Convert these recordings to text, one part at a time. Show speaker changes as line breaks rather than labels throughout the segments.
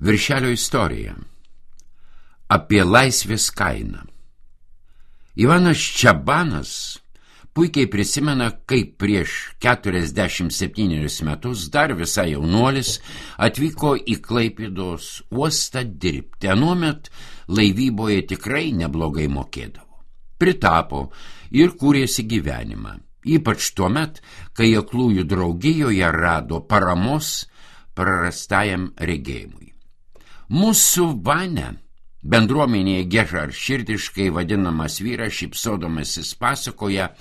Viršelio istorija. Apie laisvės kainą. Ivanas Čabanas puikiai prisimena, kaip prieš 47 metus dar visai jaunuolis atvyko į Klaipėdos uostą dirbti. Anuomet laivyboje tikrai neblogai mokėdavo. Pritapo ir kūrėsi gyvenimą. Ypač tuomet, kai aklųjų draugijoje rado paramos prarastajam regėjimui. Mūsų Vane, bendruomenėje gežarširdiškai vadinamas vyras, šypsodamasis pasakoja,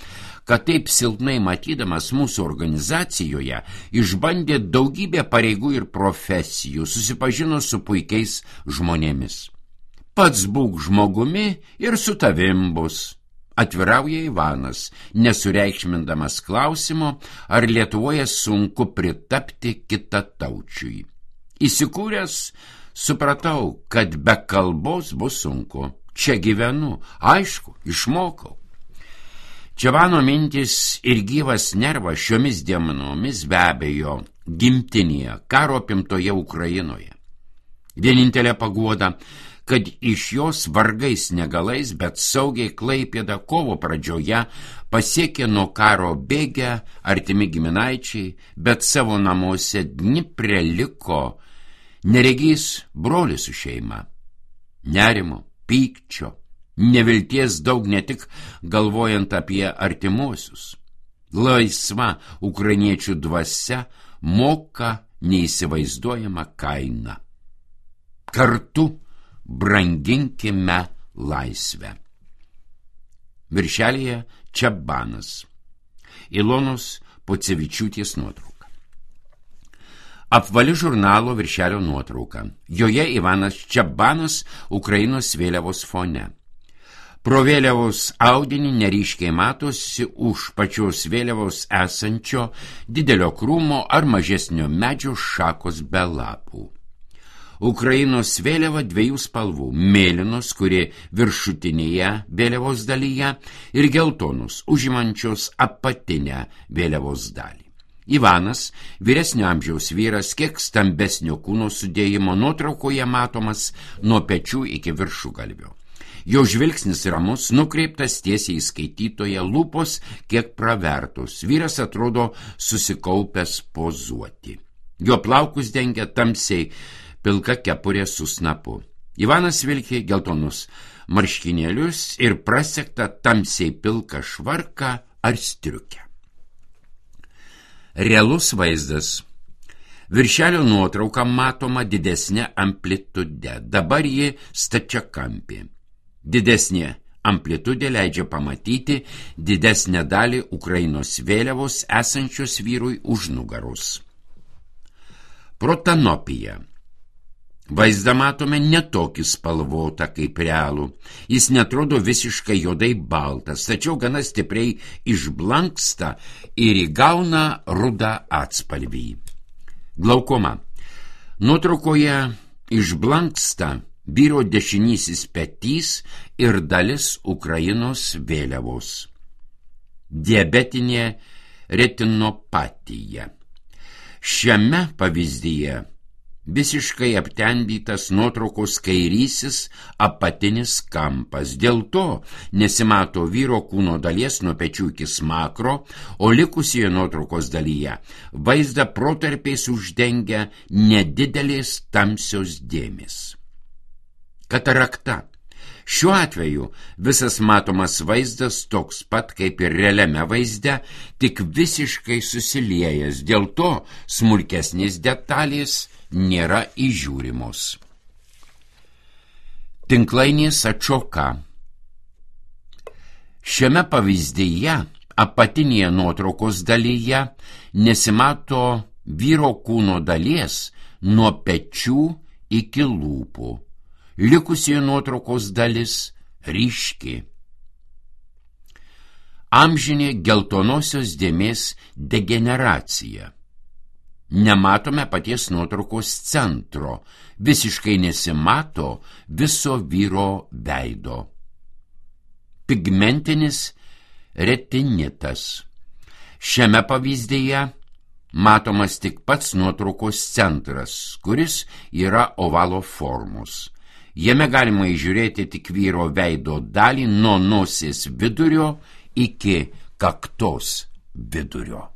kad taip silpnai matydamas mūsų organizacijoje išbandė daugybę pareigų ir profesijų, susipažino su puikiais žmonėmis. Pats būk žmogumi ir su tavim bus, atvirauja Ivanas, nesureikšmindamas klausimo, ar Lietuvoje sunku pritapti kitataučiui. Įsikūręs, supratau, kad be kalbos bus sunku. Čia gyvenu, aišku, išmokau. Čabano mintis ir gyvas nervas šiomis dienomis be abejo gimtinėje, karo apimtoje Ukrainoje. Vienintelė paguoda, kad iš jos vargais negalais, bet saugiai Klaipėdą kovo pradžioje pasiekė nuo karo bėgę artimi giminaičiai, bet savo namuose Dnipre liko neregys brolis su šeima. Nerimo, pykčio, nevilties daug, ne tik galvojant apie artimuosius. Laisva ukrainiečių dvasia moka neįsivaizduojamą kainą. Kartu branginkime laisvę. Viršelyje Čabanas. Ilonos Pocevičiūtės nuotrauka. Apvali žurnalo viršelio nuotrauka. Joje Ivanas Čabanas Ukrainos vėliavos fone. Pro vėliavos audinį neryškiai matosi už pačios vėliavos esančio didelio krūmo ar mažesnio medžio šakos be lapų. Ukrainos vėliava dviejų spalvų – mėlynos, kuri viršutinėje vėliavos dalyje, ir geltonos, užimančios apatinę vėliavos dalį. Ivanas, vyresnio amžiaus vyras, kiek stambesnio kūno sudėjimo, nuotraukoje matomas nuo pečių iki viršugalvio. Jo žvilgsnis ramus, nukreiptas tiesiai į skaitytoją, lūpos kiek pravertos. Vyras atrodo susikaupęs pozuoti. Jo plaukus dengia tamsiai pilka kepurė su snapu. Ivanas vilkė geltonus marškinėlius ir prasegtą tamsiai pilką švarką ar striukę. Realus vaizdas. Viršelio nuotrauka matoma didesnė amplitude. Dabar ji stačiakampė. Didesnė amplitudė leidžia pamatyti didesnę dalį Ukrainos vėliavos esančios vyrui už nugaros. Protanopija. Vaizdą matome netokį spalvotą kaip realų. Jis netrodo visiškai juodai baltas, tačiau gana stipriai išblanksta ir įgauna rudą atspalvį. Glaukoma. Nuotraukoje išblanksta vyro dešinysis petys ir dalis Ukrainos vėliavos. Diabetinė retinopatija. Šiame pavyzdyje visiškai aptemdytas nuotraukos kairysis apatinis kampas. Dėl to nesimato vyro kūno dalies nuo pečių iki smakro, o likusioje nuotraukos dalyje vaizdą protarpiais uždengia nedidelės tamsios dėmės. Katarakta. Šiuo atveju visas matomas vaizdas toks pat kaip ir realiame vaizde, tik visiškai susiliejęs, dėl to smulkesnės detalės nėra įžiūrimos. Tinklainės atšoka. Šiame pavyzdyje apatinėje nuotraukos dalyje nesimato vyro kūno dalies nuo pečių iki lūpų. Likusioje nuotraukos dalis ryški. Amžinė geltonosios dėmės degeneracija. Nematome paties nuotraukos centro, visiškai nesimato viso vyro veido. Pigmentinis retinitas. Šiame pavyzdyje matomas tik pats nuotraukos centras, kuris yra ovalo formos. Jame galima įžiūrėti tik vyro veido dalį nuo nosies vidurio iki kaktos vidurio.